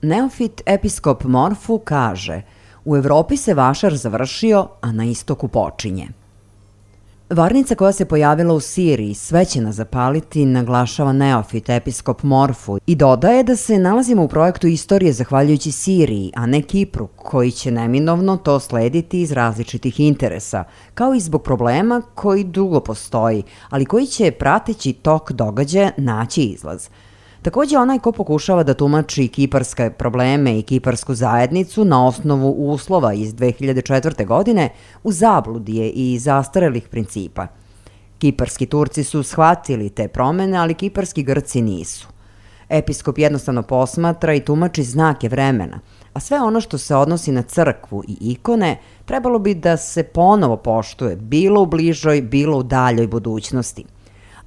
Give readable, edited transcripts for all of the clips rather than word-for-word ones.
Neofit episkop Morfu kaže: u Evropi se vašar završio, a na istoku počinje. Varnica koja se pojavila u Siriji sve će nas zapaliti, naglašava neofit episkop Morfu i dodaje da se nalazimo u projektu istorije zahvaljujući Siriji, a ne Kipru, koji će neminovno to slediti iz različitih interesa, kao i zbog problema koji dugo postoji, ali koji će prateći tok događaja naći izlaz. Takođe, onaj ko pokušava da tumači kiparske probleme i kiparsku zajednicu na osnovu uslova iz 2004. godine u zabludi je i zastarelih principa. Kiparski Turci su shvatili te promene, ali kiparski Grci nisu. Episkop jednostavno posmatra i tumači znake vremena, a sve ono što se odnosi na crkvu i ikone trebalo bi da se ponovo poštuje, bilo u bližoj, bilo u daljoj budućnosti.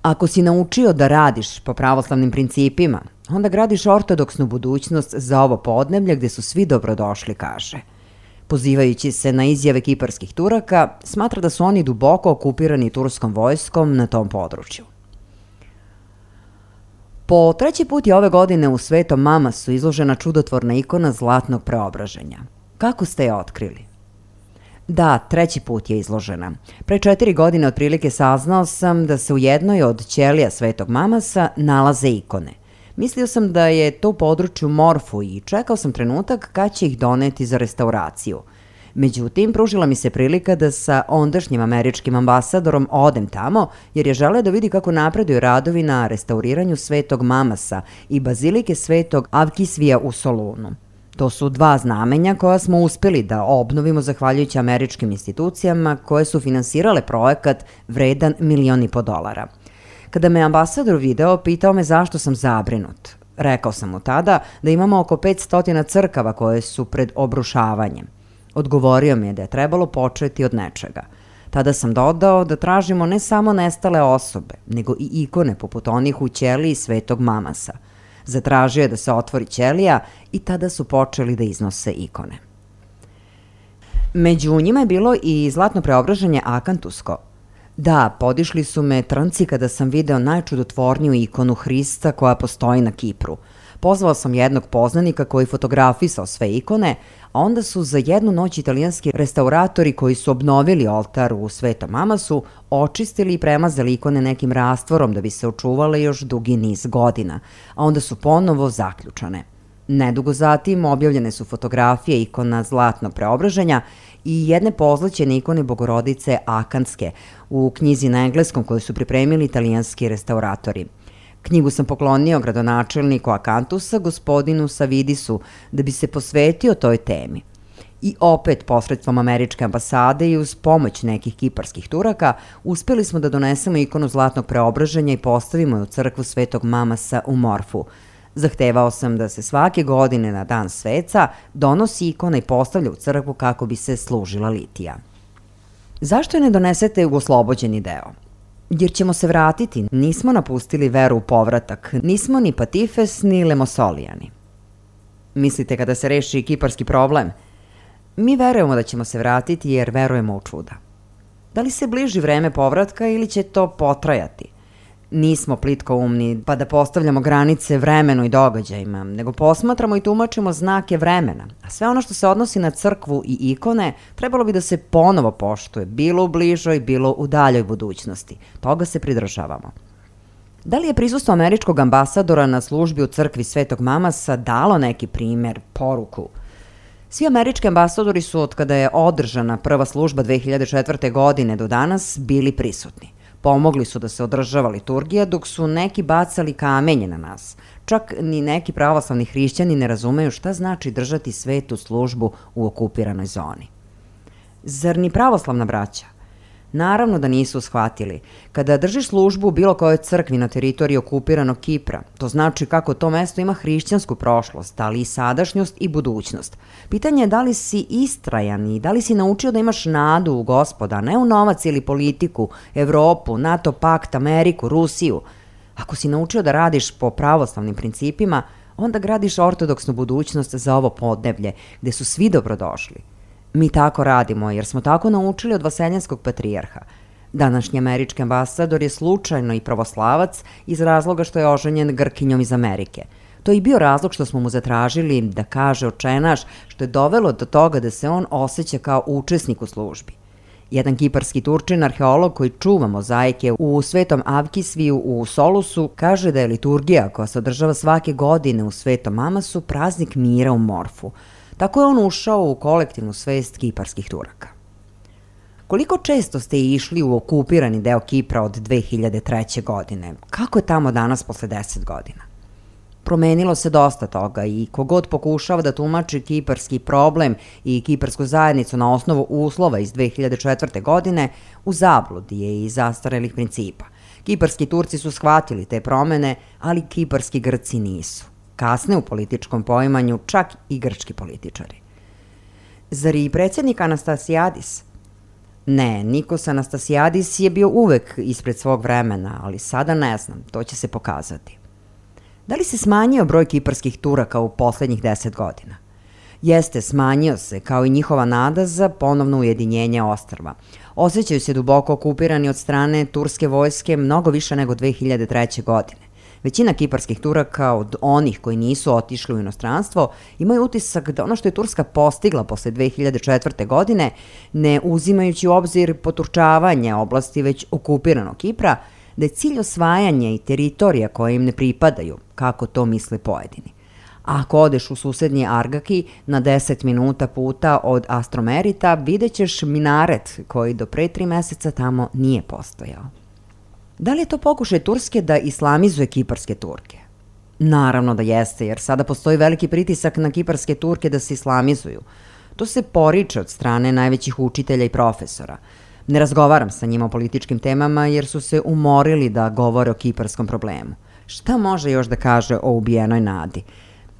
Ako si naučio da radiš po pravoslavnim principima, onda gradiš ortodoksnu budućnost za ovo podneblje gde su svi dobrodošli, kaže. Pozivajući se na izjave kiparskih Turaka, smatra da su oni duboko okupirani turskom vojskom na tom području. Po treći put je ove godine u Svetom Mamasu izložena čudotvorna ikona zlatnog preobraženja. Kako ste je otkrili? Da, treći put je izložena. Pre 4 godine otprilike saznao sam da se u jednoj od ćelija Svetog Mamasa nalaze ikone. Mislio sam da je to u području Morfu i čekao sam trenutak kad će ih doneti za restauraciju. Međutim, pružila mi se prilika da sa ondašnjim američkim ambasadorom odem tamo, jer je želeo da vidi kako napreduju radovi na restauriranju Svetog Mamasa i bazilike Svetog Avkisvija u Solunu. To su dva znamenja koja smo uspeli da obnovimo zahvaljujući američkim institucijama koje su finansirale projekat vredan $1,5 miliona. Kada me ambasador video, pitao me zašto sam zabrinut. Rekao sam mu tada da imamo oko 500 crkava koje su pred obrušavanjem. Odgovorio mi je da je trebalo početi od nečega. Tada sam dodao da tražimo ne samo nestale osobe, nego i ikone poput onih u ćeliji Svetog Mamasa. Zatražio je da se otvori ćelija i tada su počeli da iznose ikone. Među njima je bilo i zlatno preobraženje akantusko. Da, podišli su me trnci kada sam video najčudotvorniju ikonu Hrista koja postoji na Kipru. Pozvao sam jednog poznanika koji fotografisao sve ikone, a onda su za jednu noć italijanski restauratori koji su obnovili oltar u Svetom Mamasu očistili i premazali ikone nekim rastvorom da bi se očuvale još dugi niz godina, a onda su ponovo zaključane. Nedugo zatim objavljene su fotografije ikona zlatnog preobraženja i jedne pozlaćene ikone Bogorodice Akantske u knjizi na engleskom koju su pripremili italijanski restauratori. Knjigu sam poklonio gradonačelniku Akantusa, gospodinu Savidisu, da bi se posvetio toj temi. I opet, posredstvom američke ambasade i uz pomoć nekih kiparskih Turaka, uspeli smo da donesemo ikonu zlatnog preobraženja i postavimo je u crkvu Svetog Mamasa u Morfu. Zahtevao sam da se svake godine na dan sveca donosi ikona i postavlja u crkvu kako bi se služila litija. Zašto je ne donesete u oslobođeni deo? Jer ćemo se vratiti, nismo napustili veru u povratak, nismo ni Patifes ni Lemosolijani. Mislite kada se reši kiparski problem? Mi verujemo da ćemo se vratiti jer verujemo u čuda. Da li se bliži vreme povratka ili će to potrajati? Nismo plitkoumni pa da postavljamo granice vremenu i događajima, nego posmatramo i tumačimo znake vremena, a sve ono što se odnosi na crkvu i ikone trebalo bi da se ponovo poštuje, bilo u bližoj, bilo u daljoj budućnosti. Toga se pridržavamo. Da li je prisustvo američkog ambasadora na službi u crkvi Svetog Mamasa dalo neki primer, poruku? Svi američki ambasadori su, od kada je održana prva služba 2004. godine do danas, bili prisutni. Pomogli su da se održava liturgija, dok su neki bacali kamenje na nas. Čak ni neki pravoslavni hrišćani ne razumeju šta znači držati svetu službu u okupiranoj zoni. Zar ni pravoslavna braća? Naravno da nisu shvatili. Kada držiš službu u bilo kojoj crkvi na teritoriji okupiranog Kipra, to znači kako to mesto ima hrišćansku prošlost, ali i sadašnjost i budućnost. Pitanje je da li si istrajan i da li si naučio da imaš nadu u Gospoda, ne u novac ili politiku, Evropu, NATO pakt, Ameriku, Rusiju. Ako si naučio da radiš po pravoslavnim principima, onda gradiš ortodoksnu budućnost za ovo podneblje, gde su svi dobrodošli. Mi tako radimo jer smo tako naučili od vaseljanskog patrijarha. Današnji američki ambasador je slučajno i pravoslavac iz razloga što je oženjen Grkinjom iz Amerike. To je i bio razlog što smo mu zatražili da kaže očenaš, što je dovelo do toga da se on osjeća kao učesnik u službi. Jedan kiparski Turčin, arheolog koji čuva mozaike u Svetom Avkisviju u Solusu, kaže da je liturgija koja se održava svake godine u Svetom Mamasu praznik mira u Morfu. Tako je on ušao u kolektivnu svest kiparskih Turaka. Koliko često ste išli u okupirani deo Kipra od 2003. godine? Kako je tamo danas posle 10 godina? Promenilo se dosta toga i kogod pokušava da tumači kiparski problem i kiparsku zajednicu na osnovu uslova iz 2004. godine, u zabludi je i zastarelih principa. Kiparski Turci su shvatili te promene, ali kiparski Grci nisu. Kasne u političkom poimanju čak i grčki političari. Zar i predsjednik Anastasijadis? Ne, Nikos Anastasijadis je bio uvek ispred svog vremena, ali sada ne znam, to će se pokazati. Da li se smanjio broj kiparskih Turaka u poslednjih 10 godina? Jeste, smanjio se, kao i njihova nada za ponovno ujedinjenje ostrva. Osjećaju se duboko okupirani od strane turske vojske mnogo više nego 2003. godine. Većina kiparskih Turaka, od onih koji nisu otišli u inostranstvo, imaju utisak da ono što je Turska postigla posle 2004. godine, ne uzimajući u obzir poturčavanje oblasti već okupiranog Kipra, da je cilj osvajanje i teritorija koje im ne pripadaju, kako to misle pojedini. A ako odeš u susednji Argaki na 10 minuta puta od Astromerita, vidjet ćeš minaret koji do pre 3 meseca tamo nije postojao. Da li je to pokušaj Turske da islamizuje kiparske Turke? Naravno da jeste, jer sada postoji veliki pritisak na kiparske Turke da se islamizuju. To se poriče od strane najvećih učitelja i profesora. Ne razgovaram sa njima o političkim temama jer su se umorili da govore o kiparskom problemu. Šta može još da kaže o ubijenoj nadi?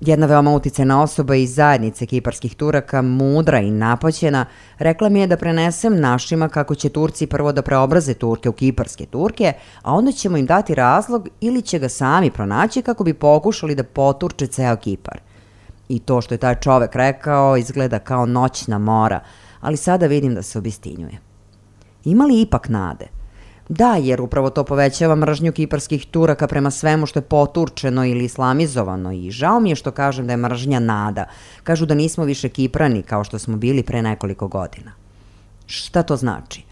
Jedna veoma uticajna osoba iz zajednice kiparskih Turaka, mudra i napaćena, rekla mi je da prenesem našima kako će Turci prvo da preobraze Turke u kiparske Turke, a onda ćemo im dati razlog ili će ga sami pronaći kako bi pokušali da poturče ceo Kipar. I to što je taj čovek rekao izgleda kao noćna mora, ali sada vidim da se obistinjuje. Ima li ipak nade? Da, jer upravo to povećava mržnju kiparskih Turaka prema svemu što je poturčeno ili islamizovano i žao mi je što kažem da je mržnja nada. Kažu da nismo više Kiprani kao što smo bili pre nekoliko godina. Šta to znači?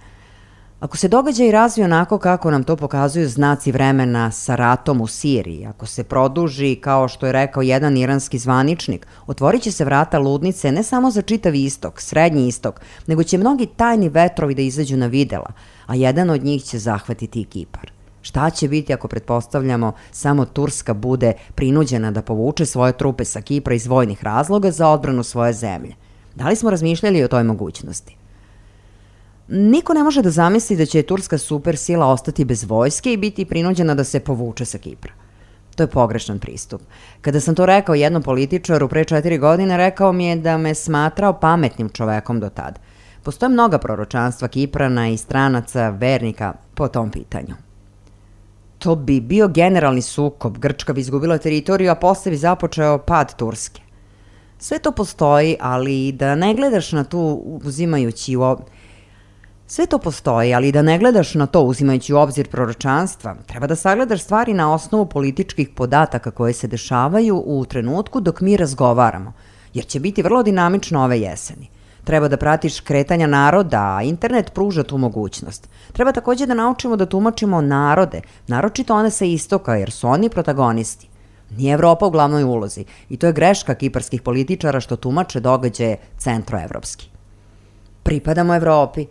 Ako se događaj razvije onako kako nam to pokazuju znaci vremena sa ratom u Siriji, ako se produži, kao što je rekao jedan iranski zvaničnik, otvorit će se vrata ludnice ne samo za čitav istok, srednji istok, nego će mnogi tajni vetrovi da izađu na videla, a jedan od njih će zahvatiti i Kipar. Šta će biti ako pretpostavljamo samo Turska bude prinuđena da povuče svoje trupe sa Kipra iz vojnih razloga za odbranu svoje zemlje? Da li smo razmišljali o toj mogućnosti? Niko ne može da zamisli da će turska supersila ostati bez vojske i biti prinuđena da se povuče sa Kipra. To je pogrešan pristup. Kada sam to rekao jednom političaru pre 4 godine, rekao mi je da me smatrao pametnim čovekom do tad. Postoje mnoga proročanstva Kiprana i stranaca, vernika po tom pitanju. To bi bio generalni sukob, Grčka bi izgubila teritoriju, a posle bi započeo pad Turske. Sve to postoji, ali da ne gledaš na to uzimajući u obzir proročanstva, treba da sagledaš stvari na osnovu političkih podataka koje se dešavaju u trenutku dok mi razgovaramo, jer će biti vrlo dinamično ove jeseni. Treba da pratiš kretanja naroda, a internet pruža tu mogućnost. Treba takođe da naučimo da tumačimo narode, naročito one sa istoka, jer su oni protagonisti. Nije Evropa u glavnoj ulozi i to je greška kiparskih političara što tumače događaje centroevropski. Pripadamo Evropi.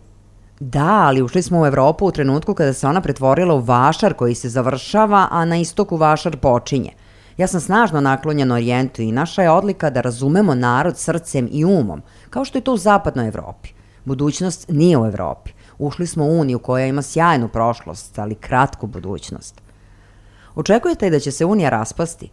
Da, ali ušli smo u Evropu u trenutku kada se ona pretvorila u vašar koji se završava, a na istoku vašar počinje. Ja sam snažno naklonjen Orijentu i naša je odlika da razumemo narod srcem i umom, kao što je to u zapadnoj Evropi. Budućnost nije u Evropi. Ušli smo u Uniju koja ima sjajnu prošlost, ali kratku budućnost. Očekujete da će se Unija raspasti?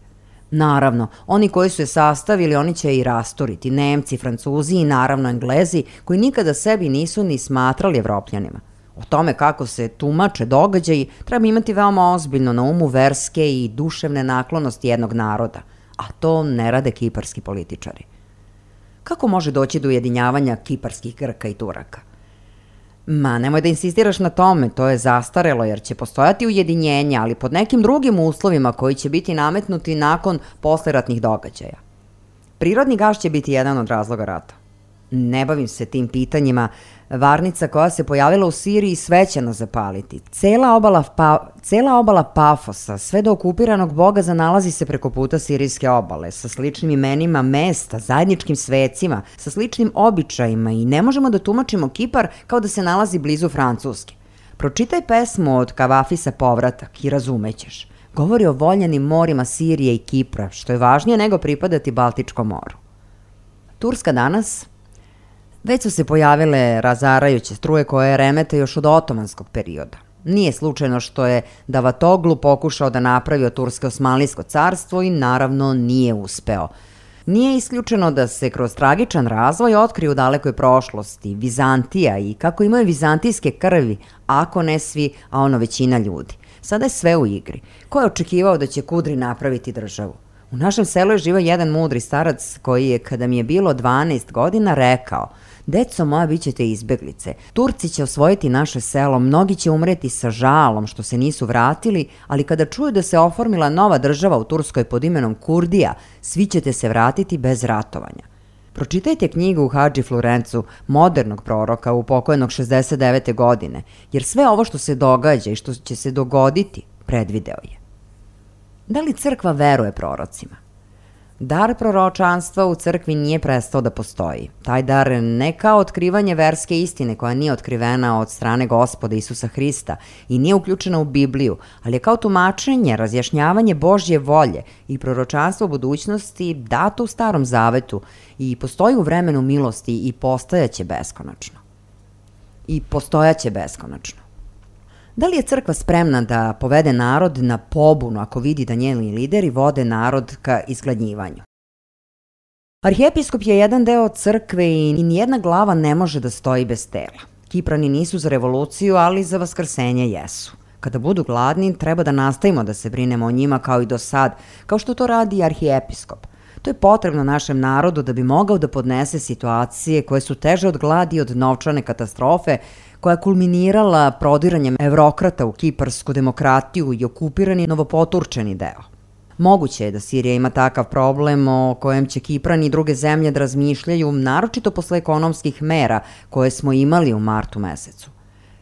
Naravno, oni koji su je sastavili, oni će je i rasturiti, Nemci, Francuzi i naravno Englezi, koji nikada sebi nisu ni smatrali Evropljanima. O tome kako se tumače događaji treba imati veoma ozbiljno na umu verske i duševne naklonosti jednog naroda, a to ne rade kiparski političari. Kako može doći do ujedinjavanja kiparskih Grka i Turaka? Nemoj da insistiraš na tome, to je zastarelo jer će postojati ujedinjenje, ali pod nekim drugim uslovima koji će biti nametnuti nakon posleratnih događaja. Prirodni gas će biti jedan od razloga rata. Ne bavim se tim pitanjima. Varnica koja se pojavila u Siriji sve će nas zapaliti. Cela obala Pafosa, sve do okupiranog Bogaza nalazi se preko puta sirijske obale, sa sličnim imenima mesta, zajedničkim svecima, sa sličnim običajima i ne možemo da tumačimo Kipar kao da se nalazi blizu Francuske. Pročitaj pesmu od Kavafisa Povratak i razumećeš. Govori o voljenim morima Sirije i Kipra, što je važnije nego pripadati Baltičkom moru. Turska danas. Već su se pojavile razarajuće struje koje remete još od otomanskog perioda. Nije slučajno što je Davatoglu pokušao da napravi od Turske Osmanlijsko carstvo i naravno nije uspeo. Nije isključeno da se kroz tragičan razvoj otkriju u dalekoj prošlosti Vizantija i kako imaju vizantijske krvi, ako ne svi, a ono većina ljudi. Sada je sve u igri. Ko je očekivao da će Kudri napraviti državu? U našem selu je živao jedan mudri starac koji je, kada mi je bilo 12 godina, rekao: "Deco moja, bit ćete izbeglice. Turci će osvojiti naše selo, mnogi će umreti sa žalom što se nisu vratili, ali kada čuju da se oformila nova država u Turskoj pod imenom Kurdija, svi ćete se vratiti bez ratovanja." Pročitajte knjigu Hadži Florencu, modernog proroka upokojenog 69. godine, jer sve ovo što se događa i što će se dogoditi, predvideo je. Da li crkva veruje prorocima? Dar proročanstva u crkvi nije prestao da postoji. Taj dar ne kao otkrivanje verske istine koja nije otkrivena od strane Gospoda Isusa Hrista i nije uključena u Bibliju, ali je kao tumačenje, razjašnjavanje Božje volje i proročanstvo budućnosti dato u Starom Zavetu i postoji u vremenu milosti i postojaće beskonačno. Da li je crkva spremna da povede narod na pobunu ako vidi da njeni lideri vode narod ka izgladnjivanju? Arhijepiskop je jedan deo crkve i nijedna glava ne može da stoji bez tela. Kiprani nisu za revoluciju, ali za vaskrsenje jesu. Kada budu gladni, treba da nastavimo da se brinemo o njima kao i do sad, kao što to radi i arhijepiskop. To je potrebno našem narodu da bi mogao da podnese situacije koje su teže od gladi i od novčane katastrofe, koja je kulminirala prodiranjem evrokrata u kiparsku demokratiju i okupirani novopoturčeni deo. Moguće je da Sirija ima takav problem o kojem će Kiprani i druge zemlje da razmišljaju, naročito posle ekonomskih mera koje smo imali u martu mesecu.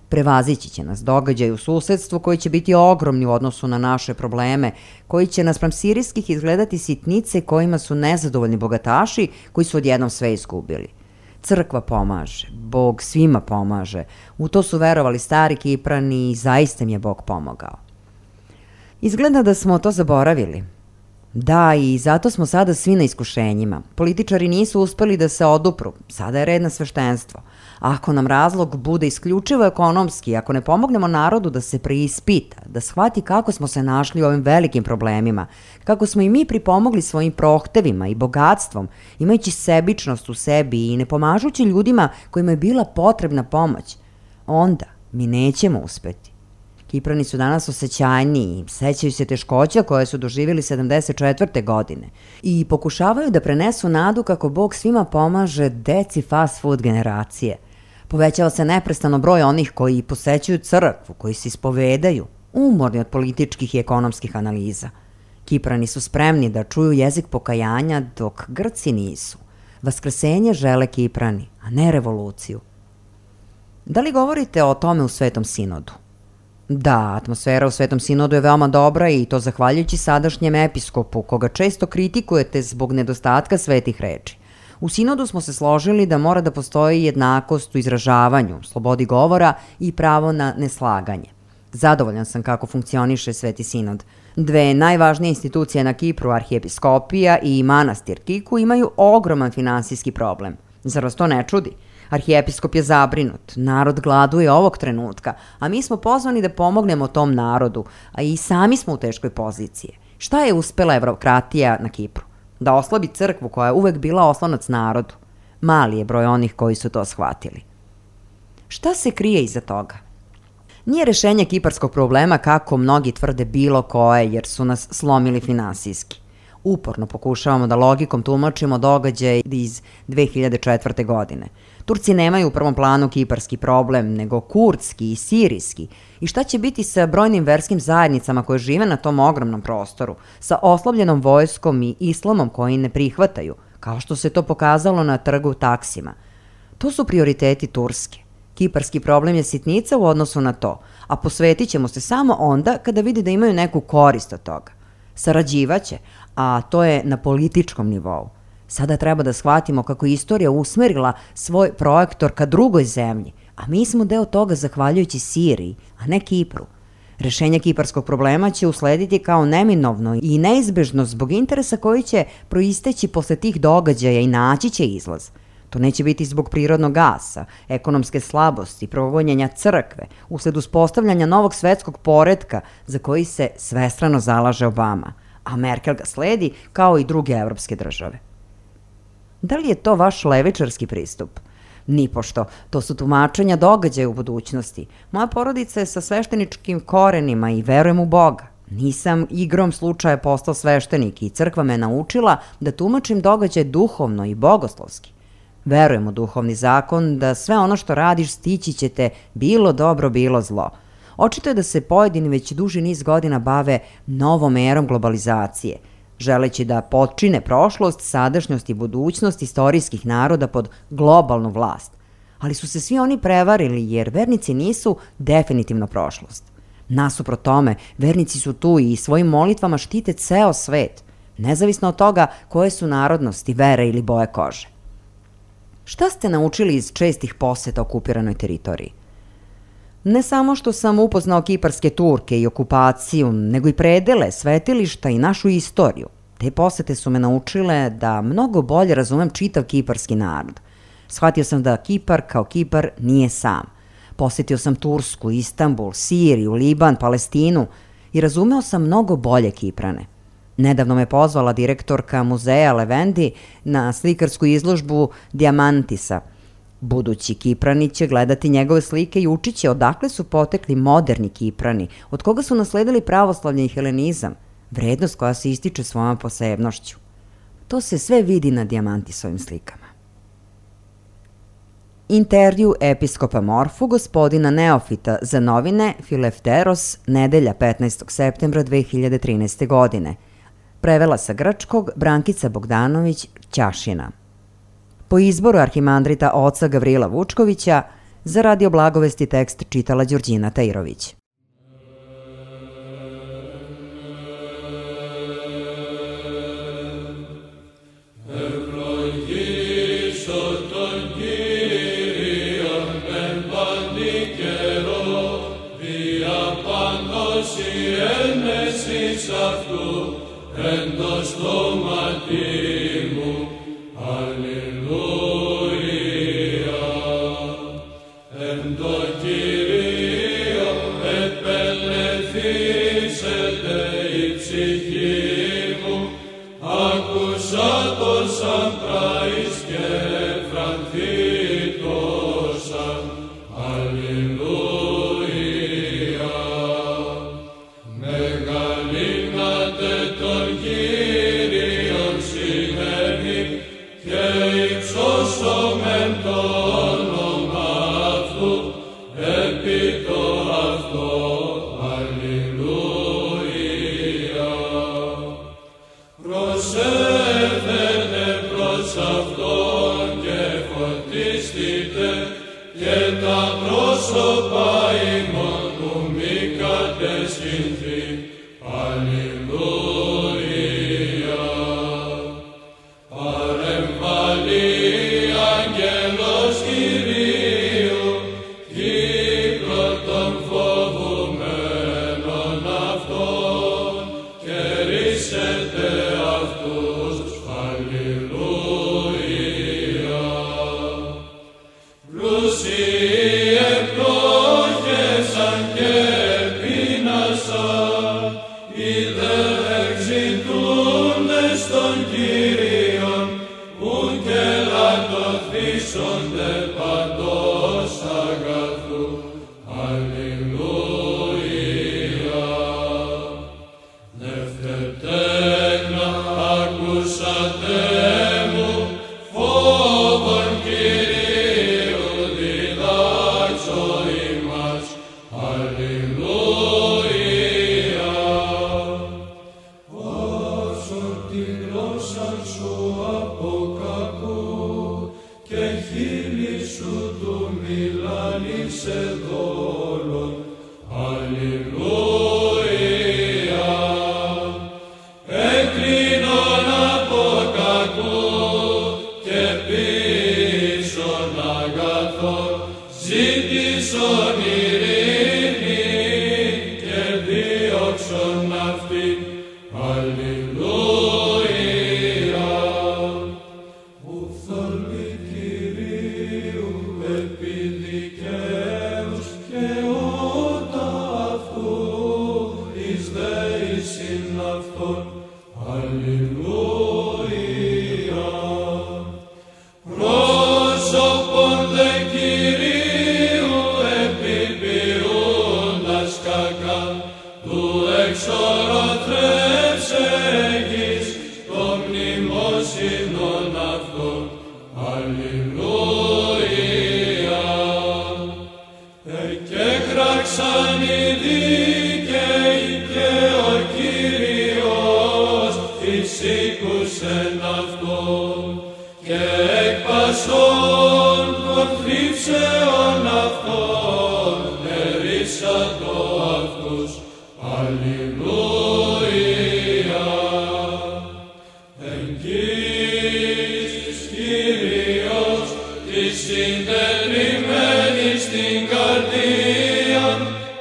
Prevazići će nas događaj u susedstvu koji će biti ogromni u odnosu na naše probleme, koji će naspram sirijskih izgledati sitnice kojima su nezadovoljni bogataši koji su odjednom sve izgubili. Crkva pomaže, Bog svima pomaže, u to su verovali stari Kiprani i zaista im je Bog pomogao. Izgleda da smo to zaboravili. Da, i zato smo sada svi na iskušenjima. Političari nisu uspeli da se odupru, sada je red na sveštenstvo. Ako nam razlog bude isključivo ekonomski, ako ne pomognemo narodu da se preispita, da shvati kako smo se našli u ovim velikim problemima, kako smo i mi pripomogli svojim prohtevima i bogatstvom, imajući sebičnost u sebi i ne pomažući ljudima kojima je bila potrebna pomoć, onda mi nećemo uspeti. Kiprani su danas osjećajniji, sećaju se teškoća koje su doživjeli 74. godine i pokušavaju da prenesu nadu kako Bog svima pomaže deci fast food generacije. Povećava se neprestano broj onih koji posećuju crkvu, koji se ispovedaju, umorni od političkih i ekonomskih analiza. Kiprani su spremni da čuju jezik pokajanja dok Grci nisu. Vaskrsenje žele Kiprani, a ne revoluciju. Da li govorite o tome u Svetom sinodu? Da, atmosfera u Svetom sinodu je veoma dobra i to zahvaljujući sadašnjem episkopu, koga često kritikujete zbog nedostatka svetih reči. U sinodu smo se složili da mora da postoji jednakost u izražavanju, slobodi govora i pravo na neslaganje. Zadovoljan sam kako funkcioniše Sveti sinod. Dve najvažnije institucije na Kipru, arhijepiskopija i manastir Kiku, imaju ogroman finansijski problem. Zar vas to ne čudi? Arhijepiskop je zabrinut, narod gladuje ovog trenutka, a mi smo pozvani da pomognemo tom narodu, a i sami smo u teškoj poziciji. Šta je uspela evrokratija na Kipru? Da oslabi crkvu koja je uvek bila oslonac narodu. Mali je broj onih koji su to shvatili. Šta se krije iza toga? Nije rešenje kiparskog problema kako mnogi tvrde bilo koje jer su nas slomili finansijski. Uporno pokušavamo da logikom tumačimo događaje iz 2004. godine. Turci nemaju u prvom planu kiparski problem, nego kurdski i sirijski. I šta će biti sa brojnim verskim zajednicama koje žive na tom ogromnom prostoru, sa oslabljenom vojskom i islamom koji ne prihvataju, kao što se to pokazalo na trgu Taksima? To su prioriteti Turske. Kiparski problem je sitnica u odnosu na to, a posvetit ćemo se samo onda kada vidi da imaju neku korist od toga. Sarađivaće, a to je na političkom nivou. Sada treba da shvatimo kako je istorija usmerila svoj projektor ka drugoj zemlji, a mi smo deo toga zahvaljujući Siriji, a ne Kipru. Rešenje kiparskog problema će uslediti kao neminovno i neizbežno zbog interesa koji će proisteći posle tih događaja i naći će izlaz. To neće biti zbog prirodnog gasa, ekonomske slabosti, progonjenja crkve, usled uspostavljanja novog svetskog poretka za koji se svestrano zalaže Obama, a Merkel ga sledi kao i druge evropske države. Da li je to vaš levičarski pristup? Nipošto, to su tumačenja događaja u budućnosti. Moja porodica je sa svešteničkim korenima i verujem u Boga. Nisam igrom slučaja postao sveštenik i crkva me naučila da tumačim događaj duhovno i bogoslovski. Verujem u duhovni zakon da sve ono što radiš stići će te bilo dobro, bilo zlo. Očito je da se pojedini već duži niz godina bave novom erom globalizacije, želeći da potčine prošlost, sadašnjost i budućnost istorijskih naroda pod globalnu vlast. Ali su se svi oni prevarili jer vernici nisu definitivno prošlost. Nasuprot tome, vernici su tu i svojim molitvama štite ceo svet, nezavisno od toga koje su narodnosti, vere ili boje kože. Šta ste naučili iz čestih poseta okupiranoj teritoriji? Ne samo što sam upoznao kiparske Turke i okupaciju, nego i predele, svetilišta i našu istoriju. Te posete su me naučile da mnogo bolje razumem čitav kiparski narod. Shvatio sam da Kipar kao Kipar nije sam. Posetio sam Tursku, Istanbul, Siriju, Liban, Palestinu i razumeo sam mnogo bolje Kiprane. Nedavno me pozvala direktorka muzeja Levendi na slikarsku izložbu Dijamantisa. Budući Kiprani će gledati njegove slike i učit će odakle su potekli moderni Kiprani, od koga su nasledili pravoslavlje i helenizam, vrednost koja se ističe svojom posebnošću. To se sve vidi na Dijamantisovim slikama. Intervju episkopa Morfu gospodina Neofita za novine Filefteros, nedelja 15. septembra 2013. godine. Prevela sa grčkog Brankica Bogdanović Ćašina. Po izboru arhimandrita oca Gavrila Vučkovića, za Radio Blagovesti tekst čitala Đorđina Tajirović. Εν το στόματι μου, αλληλούια. Εν το Κυρίο επελεθήσεται η ψυχή μου, άκουσα το σαν πράης και φρανθήτωσα, αλληλούια. Μεγαλύνατε τον Κύριον σημαίνει και υψώσομεν το όνομα αυτού επί το αυτό. Αλληλούια. Προσεύχετε προς Αυτόν και φωτίστητε και τα πρόσωπα ημών που μη κατεσχυνθεί. Αλληλούια. Παρεμβαλεί αγγέλος Κυρίου, κύκλο των φοβουμένων αυτών, και ρίσετε αυτούς. Αλληλούια. Πλούσιοι ευλόγησαν και πείνασαν, οι δε εξητούντες των Κύριων, ου και λατωθήσονται παντός αγαθού. Αλληλούια. Νευτετέκνα ακούσατε μου, φόβον Κυρίου διδάξω ημάς. Αλληλούια. Όσον τη γλώσσα σου από κακού και χείλη σου του μιλάνει σε δόλον. Αλληλούια. Εκκλίνον από κακού και πίσων αγαθών, ζήτησον ειρήνη και δίωξον αυτήν. Αλληλούια. Ουφθαλμοί Κυρίου επί δικαίους και ότα αυτού εις δεήσιν αυτόν. Αλληλούια. Πρόσωπον δε Κυρίου επιποιούντας κακά, του εξορροθρεύσεγης το μνημόσυνον αυτόν. Αλληλούια. Εκέκραξαν οι δίκαιοι και ο Κύριος εισήκουσεν αυτόν, και εκ πασών των θλίψεων αυτών ερίσατο αυτούς. Αλληλούια. Εγγύς Κύριος της συντετριμμένης στην καρδία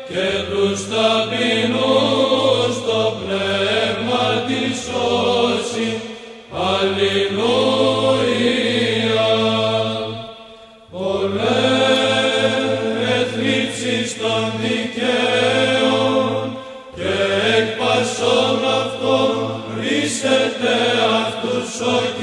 και τους ταπεινούς το πνεύμα της σώσει. Αλληλούια. Πολλές θλίψεις των δικαίων και εκ πασών αυτών Ίσετε αυτούς όχι